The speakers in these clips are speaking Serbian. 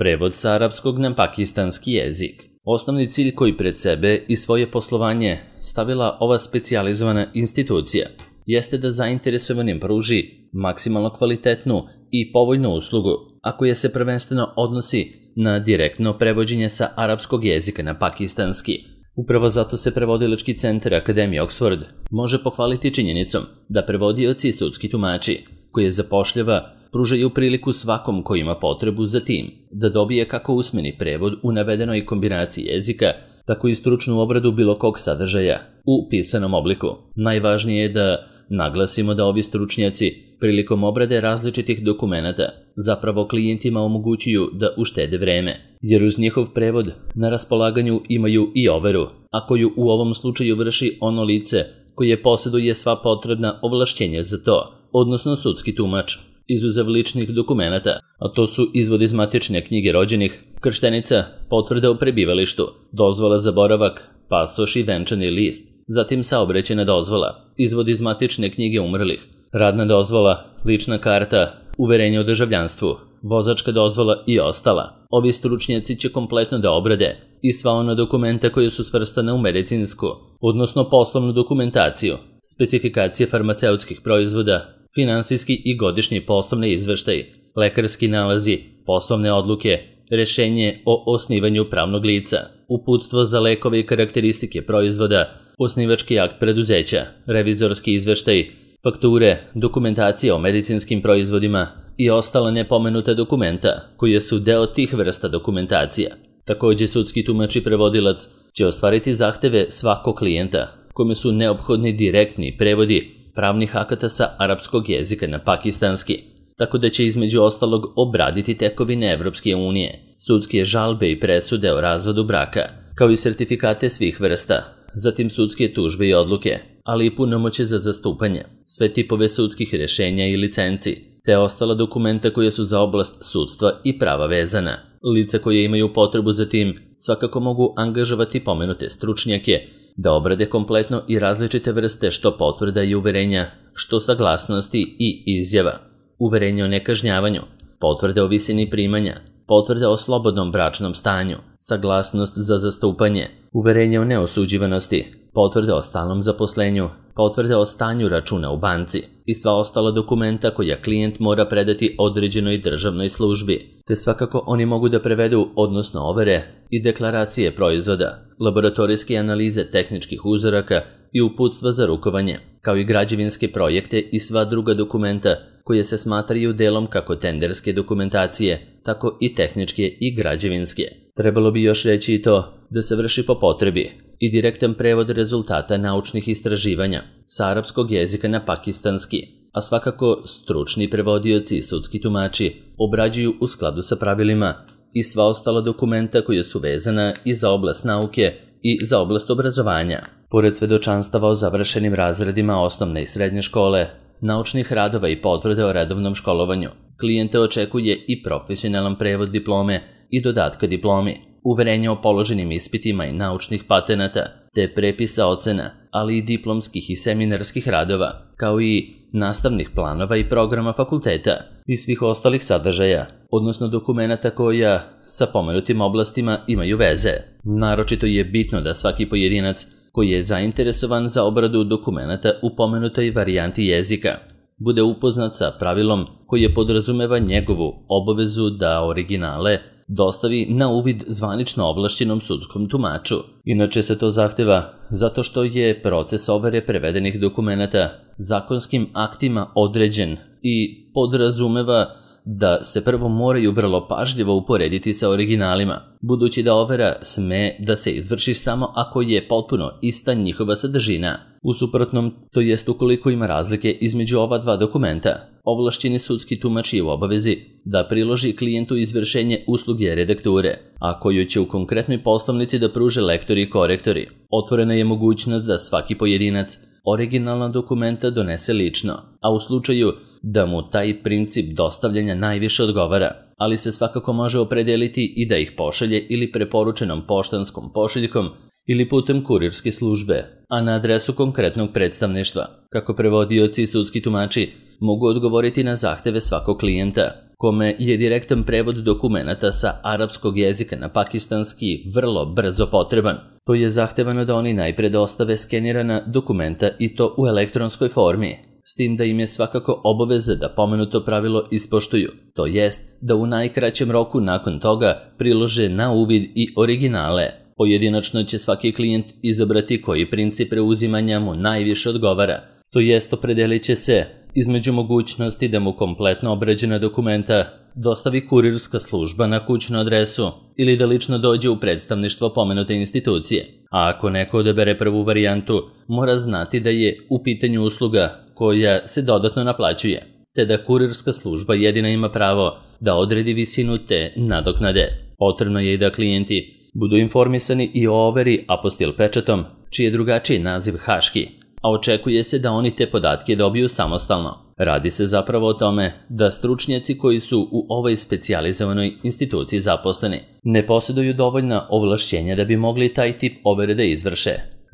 Prevod sa arapskog na pakistanski jezik. Osnovni cilj koji pred sebe i svoje poslovanje stavila ova specijalizovana institucija jeste da zainteresovanim pruži maksimalno kvalitetnu i povoljnu uslugu, a koja se prvenstveno odnosi na direktno prevođenje sa arapskog jezika na pakistanski. Upravo zato se prevodilački centar Akademije Oxford može pohvaliti činjenicom da prevodioci i sudski tumači koje zapošljava pružaju priliku svakom ko ima potrebu za tim da dobije kako usmeni prevod u navedenoj kombinaciji jezika, tako i stručnu obradu bilo kog sadržaja u pisanom obliku. Najvažnije je da naglasimo da ovi stručnjaci prilikom obrade različitih dokumenata zapravo klijentima omogućuju da uštede vreme, jer uz njihov prevod na raspolaganju imaju i overu, a koju u ovom slučaju vrši ono lice koje posjeduje sva potrebna ovlašćenja za to, odnosno sudski tumač. Izuzev ličnih dokumenata, a to su izvod iz matične knjige rođenih, krštenica, potvrda o prebivalištu, dozvola za boravak, pasoš i venčani list, zatim saobraćajna dozvola, izvod iz matične knjige umrlih, radna dozvola, lična karta, uverenje o državljanstvu, vozačka dozvola i ostala. Ovi stručnjaci će kompletno da obrade i sva ona dokumenta koja su svrstana u medicinsku, odnosno poslovnu dokumentaciju, specifikacije farmaceutskih proizvoda, finansijski i godišnji poslovni izveštaj, lekarski nalazi, poslovne odluke, rešenje o osnivanju pravnog lica, uputstvo za lekove i karakteristike proizvoda, osnivački akt preduzeća, revizorski izveštaj, fakture, dokumentacija o medicinskim proizvodima i ostala nepomenuta dokumenta koje su deo tih vrsta dokumentacija. Također sudski tumač i prevodilac će ostvariti zahteve svakog klijenta kome su neophodni direktni prevodi pravnih akata sa arapskog jezika na pakistanski, tako da će između ostalog obraditi tekovine Evropske unije, sudske žalbe i presude o razvodu braka, kao i sertifikate svih vrsta, zatim sudske tužbe i odluke, ali i punomoćje za zastupanje, sve tipove sudskih rješenja i licenci, te ostala dokumenta koja su za oblast sudstva i prava vezana. Lica koje imaju potrebu za tim svakako mogu angažovati pomenute stručnjake da obrade kompletno i različite vrste što potvrda i uverenja, što saglasnosti i izjava, uverenje o nekažnjavanju, potvrde o visini primanja, potvrde o slobodnom bračnom stanju, saglasnost za zastupanje, uverenje o neosuđivanosti, potvrde o stalnom zaposlenju, potvrde o stanju računa u banci i sva ostala dokumenta koja klijent mora predati određenoj državnoj službi, te svakako oni mogu da prevedu, odnosno overe, i deklaracije proizvoda, laboratorijske analize tehničkih uzoraka i uputstva za rukovanje, kao i građevinske projekte i sva druga dokumenta koje se smatraju delom kako tenderske dokumentacije, tako i tehničke i građevinske. Trebalo bi još reći i to da se vrši po potrebi i direktan prevod rezultata naučnih istraživanja sa arapskog jezika na pakistanski, a svakako stručni prevodioci i sudski tumači obrađuju u skladu sa pravilima i sva ostala dokumenta koja su vezana i za oblast nauke i za oblast obrazovanja. Pored svedočanstava o završenim razredima osnovne i srednje škole, naučnih radova i potvrde o redovnom školovanju, klijente očekuje i profesionalan prevod diplome i dodatka diplomi, uverenja o položenim ispitima i naučnih patenata, te prepisa ocena, ali i diplomskih i seminarskih radova, kao i nastavnih planova i programa fakulteta i svih ostalih sadržaja, odnosno dokumenata koja sa pomenutim oblastima imaju veze. Naročito je bitno da svaki pojedinac koji je zainteresovan za obradu dokumenata u pomenutoj varijanti jezika bude upoznat sa pravilom koje podrazumeva njegovu obavezu da originale dostavi na uvid zvanično ovlašćenom sudskom tumaču. Inače se to zahteva zato što je proces overe prevedenih dokumenata zakonskim aktima određen i podrazumeva da se prvo moraju vrlo pažljivo uporediti sa originalima, budući da overa sme da se izvrši samo ako je potpuno ista njihova sadržina. U suprotnom, to jest ukoliko ima razlike između ova dva dokumenta, ovlašćeni sudski tumač je u obavezi da priloži klijentu izvršenje usluge redakture, a koju će u konkretnoj poslovnici da pruže lektori i korektori. Otvorena je mogućnost da svaki pojedinac originalna dokumenta donese lično, a u slučaju da mu taj princip dostavljanja najviše odgovara, ali se svakako može opredeliti i da ih pošalje ili preporučenom poštanskom pošiljkom ili putem kurirske službe, a na adresu konkretnog predstavništva, kako prevodioci i sudski tumači mogu odgovoriti na zahteve svakog klijenta kome je direktan prevod dokumenata sa arapskog jezika na pakistanski vrlo brzo potreban, to je zahtevano da oni najpre dostave skenirana dokumenta i to u elektronskoj formi, s tim da im je svakako obaveza da pomenuto pravilo ispoštuju, to jest da u najkraćem roku nakon toga prilože na uvid i originale. Pojedinačno će svaki klijent izabrati koji princip preuzimanja mu najviše odgovara, to jest opredelit će se između mogućnosti da mu kompletno obrađena dokumenta dostavi kurirska služba na kućnu adresu ili da lično dođe u predstavništvo pomenute institucije. A ako neko odabere prvu varijantu, mora znati da je u pitanju usluga koja se dodatno naplaćuje, te da kurirska služba jedina ima pravo da odredi visinu te nadoknade. Potrebno je i da klijenti budu informisani i o overi apostil pečatom, čiji je drugačiji naziv haški, a očekuje se da oni te podatke dobiju samostalno. Radi se zapravo o tome da stručnjaci koji su u ovoj specijalizovanoj instituciji zaposleni ne posjeduju dovoljna ovlašćenja da bi mogli taj tip overe da izvrše,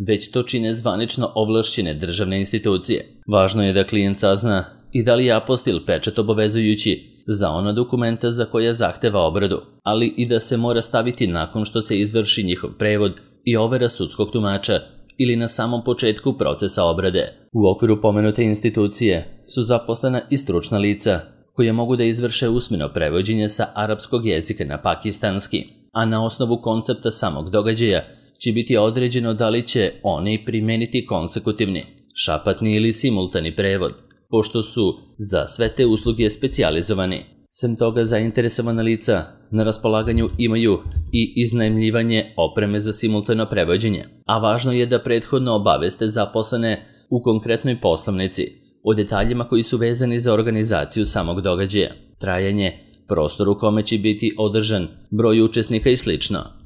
već to čine zvanično ovlašćene državne institucije. Važno je da klijent sazna i da li je apostil pečat obavezujući za ona dokumenta za koja zahteva obradu, ali i da se mora staviti nakon što se izvrši njihov prevod i overa sudskog tumača ili na samom početku procesa obrade. U okviru pomenute institucije su zaposlena i stručna lica koje mogu da izvrše usmeno prevođenje sa arapskog jezika na pakistanski, a na osnovu koncepta samog događaja će biti određeno da li će oni primeniti konsekutivni, šapatni ili simultani prevod, pošto su za sve te usluge specijalizovani. Sem toga, zainteresovana lica na raspolaganju imaju i iznajmljivanje opreme za simultano prevođenje, a važno je da prethodno obaveste zaposlene u konkretnoj poslovnici o detaljima koji su vezani za organizaciju samog događaja, trajanje, prostor u kome će biti održan, broj učesnika i sl.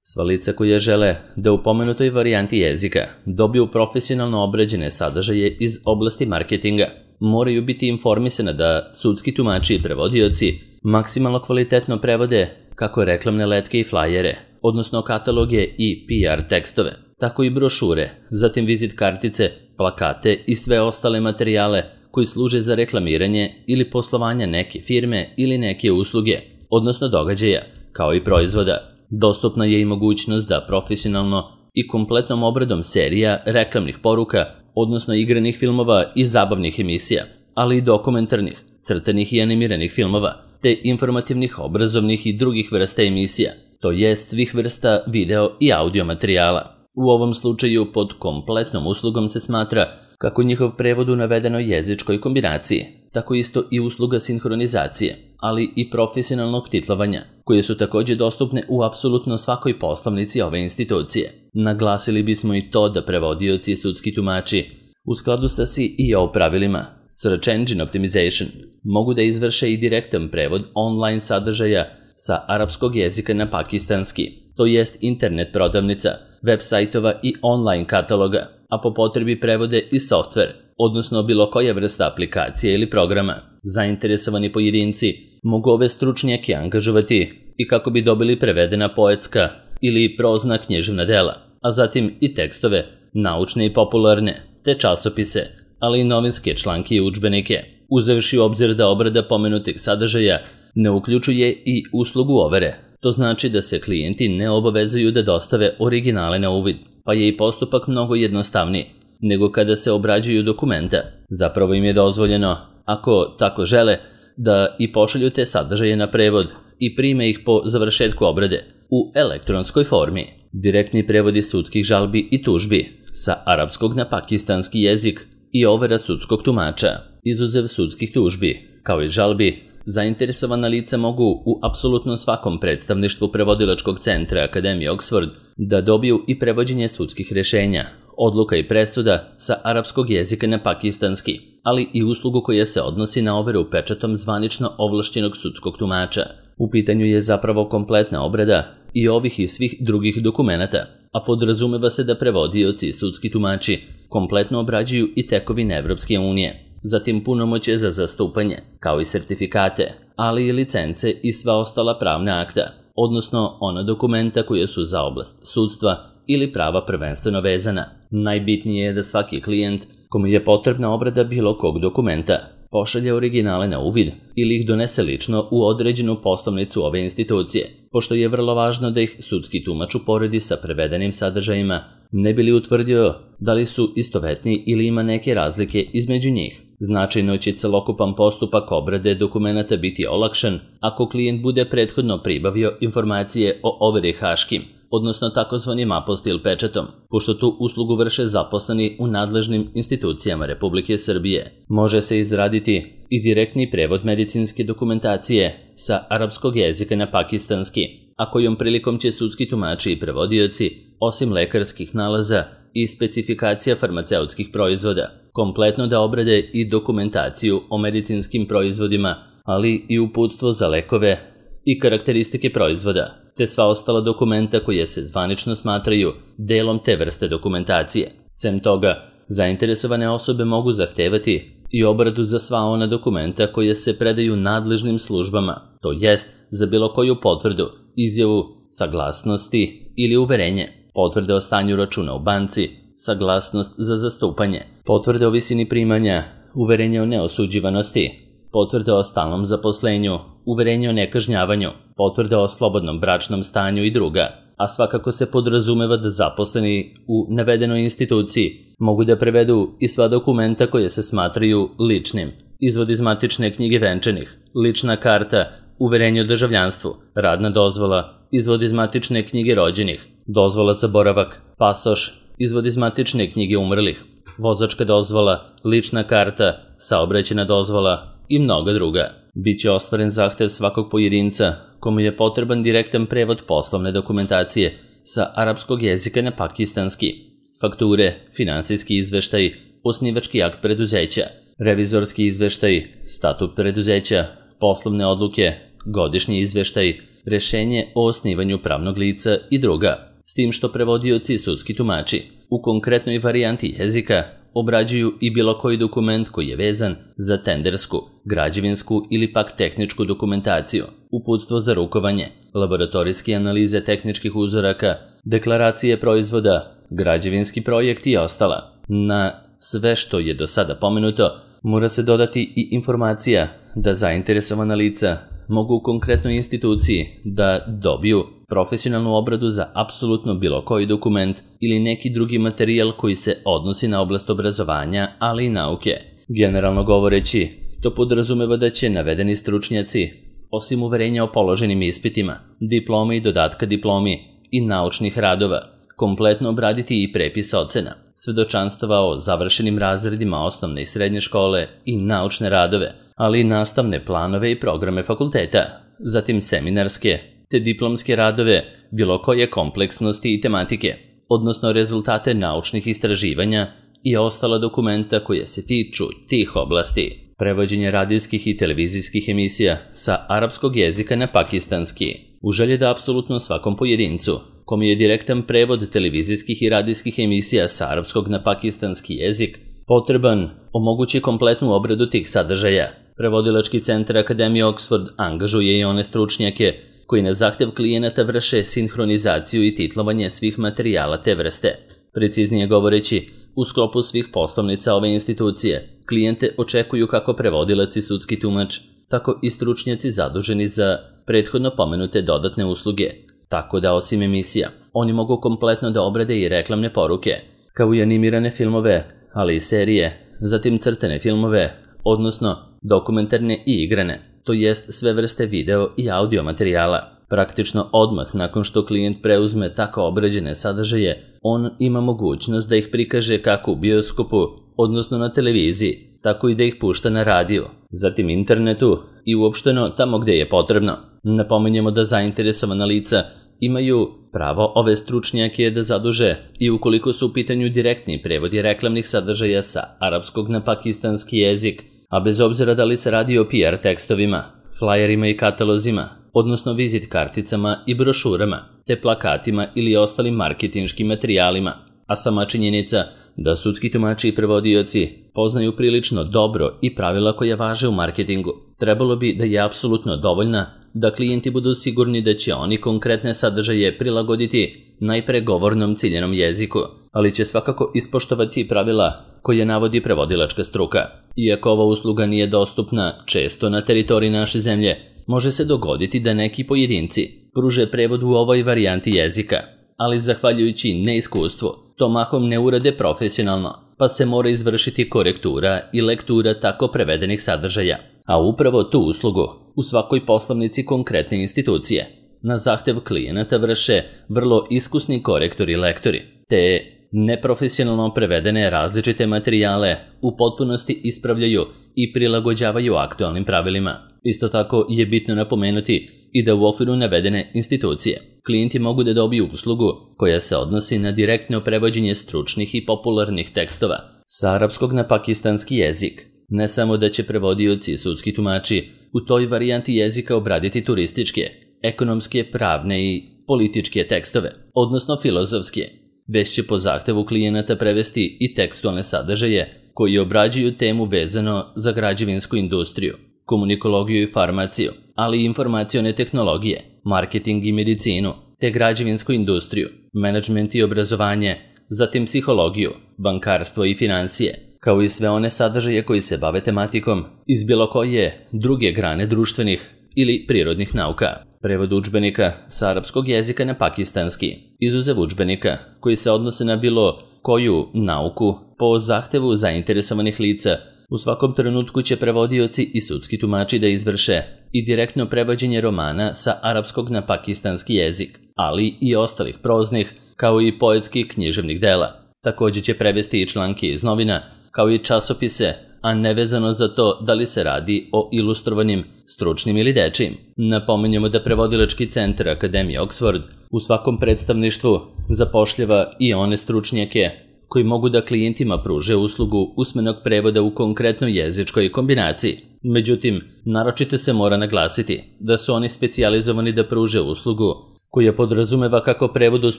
Sva lica koja žele da u pomenutoj varijanti jezika dobiju profesionalno obrađene sadržaje iz oblasti marketinga moraju biti informisane da sudski tumači i prevodioci maksimalno kvalitetno prevode kako reklamne letke i flajere, odnosno kataloge i PR tekstove, tako i brošure, zatim vizit kartice, plakate i sve ostale materijale koji služe za reklamiranje ili poslovanje neke firme ili neke usluge, odnosno događaja, kao i proizvoda. Dostupna je i mogućnost da profesionalno i kompletnom obradom serija, reklamnih poruka, odnosno igranih filmova i zabavnih emisija, ali i dokumentarnih, crtanih i animiranih filmova, te informativnih, obrazovnih i drugih vrsta emisija, to jest svih vrsta video i audio materijala. U ovom slučaju pod kompletnom uslugom se smatra kako njihov prevod u navedenoj jezičkoj kombinaciji, tako isto i usluga sinhronizacije, ali i profesionalnog titlovanja, koje su također dostupne u apsolutno svakoj poslovnici ove institucije. Naglasili bismo i to da prevodioci i sudski tumači u skladu sa SEO pravilima Search Engine Optimization mogu da izvrše i direktan prevod online sadržaja sa arapskog jezika na pakistanski, to jest internet prodavnica, web sajtova i online kataloga, a po potrebi prevode i softver, odnosno bilo koja vrsta aplikacije ili programa. Zainteresovani pojedinci mogu ove stručnjake angažovati i kako bi dobili prevedena poetska ili prozna književna dela, a zatim i tekstove, naučne i popularne, te časopise, ali i novinske članke i udžbenike, uzevši u obzir da obrada pomenutih sadržaja ne uključuje i uslugu overe. To znači da se klijenti ne obavezuju da dostave originale na uvid, pa je i postupak mnogo jednostavniji nego kada se obrađuju dokumenta. Zapravo im je dozvoljeno, ako tako žele, da i pošalju te sadržaje na prevod i prime ih po završetku obrade u elektronskoj formi. Direktni prevodi sudskih žalbi i tužbi sa arapskog na pakistanski jezik i overa sudskog tumača, izuzev sudskih tužbi, kao i žalbi, zainteresovana lica mogu u apsolutno svakom predstavništvu prevodilačkog centra Akademije Oxford da dobiju i prevođenje sudskih rješenja, odluka i presuda sa arapskog jezika na pakistanski, ali i uslugu koja se odnosi na overu pečatom zvanično ovlašćenog sudskog tumača. U pitanju je zapravo kompletna obrada i ovih i svih drugih dokumenata, a podrazumeva se da prevodioci i sudski tumači kompletno obrađuju i tekovine Evropske unije, zatim punomoćje za zastupanje, kao i sertifikate, ali i licence i sva ostala pravna akta, odnosno ona dokumenta koja su za oblast sudstva ili prava prvenstveno vezana. Najbitnije je da svaki klijent kome je potrebna obrada bilo kog dokumenta pošalje originale na uvid ili ih donese lično u određenu poslovnicu ove institucije, pošto je vrlo važno da ih sudski tumač uporedi sa prevedenim sadržajima, ne bi li utvrdio da li su istovetni ili ima neke razlike između njih. Značajno će celokupan postupak obrade dokumenata biti olakšan ako klijent bude prethodno pribavio informacije o overi haškim, odnosno takozvanim apostil pečatom, pošto tu uslugu vrše zaposleni u nadležnim institucijama Republike Srbije. Može se izraditi i direktni prevod medicinske dokumentacije sa arapskog jezika na pakistanski, a kojom prilikom će sudski tumači i prevodioci, osim lekarskih nalaza i specifikacija farmaceutskih proizvoda, kompletno da obrade i dokumentaciju o medicinskim proizvodima, ali i uputstvo za lekove i karakteristike proizvoda, te sva ostala dokumenta koje se zvanično smatraju delom te vrste dokumentacije. Sem toga, zainteresovane osobe mogu zahtevati i obradu za sva ona dokumenta koje se predaju nadležnim službama, to jest za bilo koju potvrdu, izjavu, saglasnosti ili uverenje, potvrde o stanju računa u banci, saglasnost za zastupanje, potvrde o visini primanja, uverenje o neosuđivanosti, potvrde o stalnom zaposlenju, uverenje o nekažnjavanju, potvrde o slobodnom bračnom stanju i druga, a svakako se podrazumeva da zaposleni u navedenoj instituciji mogu da prevedu i sva dokumenta koje se smatraju ličnim, izvod iz matične knjige venčanih, lična karta, uverenje o državljanstvu, radna dozvola, izvod iz matične knjige rođenih, dozvola za boravak, pasoš, izvod iz matične knjige umrlih, vozačka dozvola, lična karta, saobraćajna dozvola i mnoga druga. Biće ostvaren zahtev svakog pojedinca komu je potreban direktan prevod poslovne dokumentacije sa arapskog jezika na pakistanski, fakture, finansijski izveštaj, osnivački akt preduzeća, revizorski izveštaj, statut preduzeća, poslovne odluke, godišnji izveštaj, rešenje o osnivanju pravnog lica i druga, s tim što prevodioci i sudski tumači u konkretnoj varijanti jezika obrađuju i bilo koji dokument koji je vezan za tendersku, građevinsku ili pak tehničku dokumentaciju, uputstvo za rukovanje, laboratorijske analize tehničkih uzoraka, deklaracije proizvoda, građevinski projekt i ostala. Na sve što je do sada pomenuto, mora se dodati i informacija da zainteresovana lica mogu u konkretnoj instituciji da dobiju profesionalnu obradu za apsolutno bilo koji dokument ili neki drugi materijal koji se odnosi na oblast obrazovanja, ali i nauke. Generalno govoreći, to podrazumeva da će navedeni stručnjaci, osim uverenja o položenim ispitima, diplome i dodatka diplomi i naučnih radova, kompletno obraditi i prepis ocena, svedočanstava o završenim razredima osnovne i srednje škole i naučne radove, ali i nastavne planove i programe fakulteta, zatim seminarske te diplomske radove bilo koje kompleksnosti i tematike, odnosno rezultate naučnih istraživanja i ostala dokumenta koje se tiču tih oblasti. Prevođenje radijskih i televizijskih emisija sa arapskog jezika na pakistanski. U želji da apsolutno svakom pojedincu, kom je direktan prevod televizijskih i radijskih emisija sa arapskog na pakistanski jezik potreban, omogući kompletnu obradu tih sadržaja. Prevodilački centar Akademije Oxford angažuje i one stručnjake koji na zahtev klijenata vrše sinhronizaciju i titlovanje svih materijala te vrste. Preciznije govoreći, u sklopu svih poslovnica ove institucije, klijente očekuju kako prevodilac i sudski tumač, tako i stručnjaci zaduženi za prethodno pomenute dodatne usluge. Tako da osim emisija, oni mogu kompletno da obrade i reklamne poruke, kao i animirane filmove, ali i serije, zatim crtane filmove, odnosno dokumentarne i igrane, to jest sve vrste video i audio materijala. Praktično odmah nakon što klijent preuzme tako obrađene sadržaje, on ima mogućnost da ih prikaže kako u bioskopu, odnosno na televiziji, tako i da ih pušta na radiju, zatim internetu i uopšteno tamo gde je potrebno. Napominjemo da zainteresovana lica imaju pravo ove stručnjake da zaduže i ukoliko su u pitanju direktni prevodi reklamnih sadržaja sa arapskog na pakistanski jezik, a bez obzira da li se radi o PR tekstovima, flajerima i katalozima, odnosno vizit karticama i brošurama, te plakatima ili ostalim marketinškim materijalima, a sama činjenica da sudski tumači i prevodioci poznaju prilično dobro i pravila koja važe u marketingu, trebalo bi da je apsolutno dovoljna da klijenti budu sigurni da će oni konkretne sadržaje prilagoditi najpre govornom ciljenom jeziku, ali će svakako ispoštovati pravila koje navodi prevodilačka struka. Iako ova usluga nije dostupna često na teritoriji naše zemlje, može se dogoditi da neki pojedinci pruže prevod u ovoj varijanti jezika, ali zahvaljujući neiskustvu, to mahom ne urade profesionalno, pa se mora izvršiti korektura i lektura tako prevedenih sadržaja. A upravo tu uslugu u svakoj poslovnici konkretne institucije na zahtev klijenata vrše vrlo iskusni korektori i lektori, te neprofesionalno prevedene različite materijale u potpunosti ispravljaju i prilagođavaju aktualnim pravilima. Isto tako je bitno napomenuti i da u okviru navedene institucije klijenti mogu da dobiju uslugu koja se odnosi na direktno prevođenje stručnih i popularnih tekstova sa arapskog na pakistanski jezik. Ne samo da će prevodioci i sudski tumači u toj varijanti jezika obraditi turističke, ekonomske, pravne i političke tekstove, odnosno filozofske, već će po zahtevu klijenata prevesti i tekstualne sadržaje koji obrađuju temu vezano za građevinsku industriju, komunikologiju i farmaciju, ali i informacione tehnologije, marketing i medicinu, te građevinsku industriju, menadžment i obrazovanje, zatim psihologiju, bankarstvo i financije, kao i sve one sadržaje koji se bave tematikom iz bilo koje druge grane društvenih ili prirodnih nauka. Prevod udžbenika sa arapskog jezika na pakistanski, izuzev udžbenika koji se odnose na bilo koju nauku po zahtevu zainteresovanih lica, u svakom trenutku će prevodioci i sudski tumači da izvrše i direktno prevođenje romana sa arapskog na pakistanski jezik, ali i ostalih proznih, kao i poetskih književnih dela. Također će prevesti i članke iz novina, kao i časopise, a nevezano za to da li se radi o ilustrovanim, stručnim ili dečijim. Napominjemo da prevodilački centar Akademije Oxford u svakom predstavništvu zapošljava i one stručnjake koji mogu da klijentima pruže uslugu usmenog prevoda u konkretnoj jezičkoj kombinaciji. Međutim, naročito se mora naglasiti da su oni specijalizovani da pruže uslugu koja podrazumeva kako prevod uz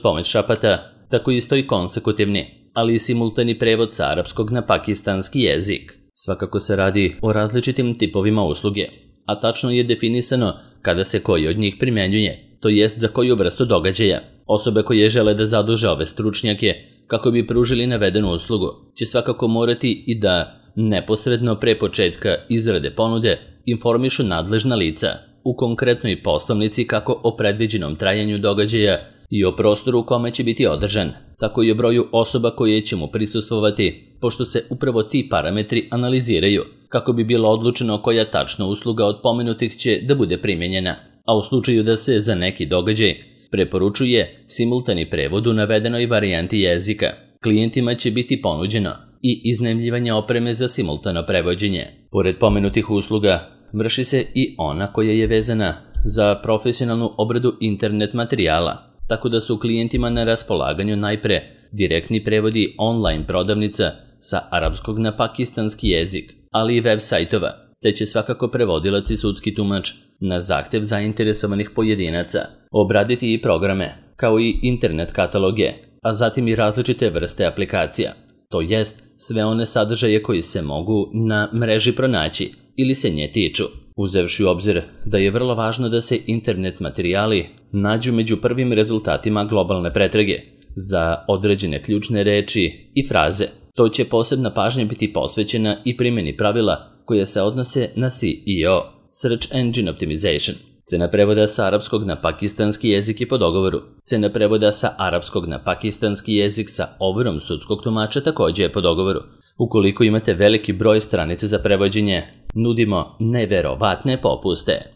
pomoć šapata, tako isto i konsekutivni, ali i simultani prevod sa arapskog na pakistanski jezik. Svakako se radi o različitim tipovima usluge, a tačno je definisano kada se koji od njih primjenjuje, to jest za koju vrstu događaja. Osobe koje žele da zaduže ove stručnjake kako bi pružili navedenu uslugu će svakako morati i da neposredno pre početka izrade ponude informišu nadležna lica u konkretnoj poslovnici kako o predviđenom trajanju događaja i o prostoru u kome će biti održan, tako i o broju osoba koje će mu prisustvovati, pošto se upravo ti parametri analiziraju kako bi bilo odlučeno koja tačna usluga od pomenutih će da bude primjenjena, a u slučaju da se za neki događaj preporučuje simultani prevod u navedenoj varijanti jezika, klijentima će biti ponuđeno i iznajmljivanje opreme za simultano prevođenje. Pored pomenutih usluga, vrši se i ona koja je vezana za profesionalnu obradu internet materijala, tako da su klijentima na raspolaganju najpre direktni prevodi online prodavnica sa arapskog na pakistanski jezik, ali i web sajtova, te će svakako prevodilac i sudski tumač na zahtev zainteresovanih pojedinaca obraditi i programe, kao i internet kataloge, a zatim i različite vrste aplikacija, to jest sve one sadržaje koji se mogu na mreži pronaći ili se nje tiču, uzevši u obzir da je vrlo važno da se internet materijali nađu među prvim rezultatima globalne pretrage za određene ključne reči i fraze. To će posebna pažnja biti posvećena i primjeni pravila koje se odnose na SEO, Search Engine Optimization. Cena prevoda sa arapskog na pakistanski jezik je po dogovoru. Cena prevoda sa arapskog na pakistanski jezik sa overom sudskog tumača također je po dogovoru. Ukoliko imate veliki broj stranica za prevođenje, nudimo neverovatne popuste.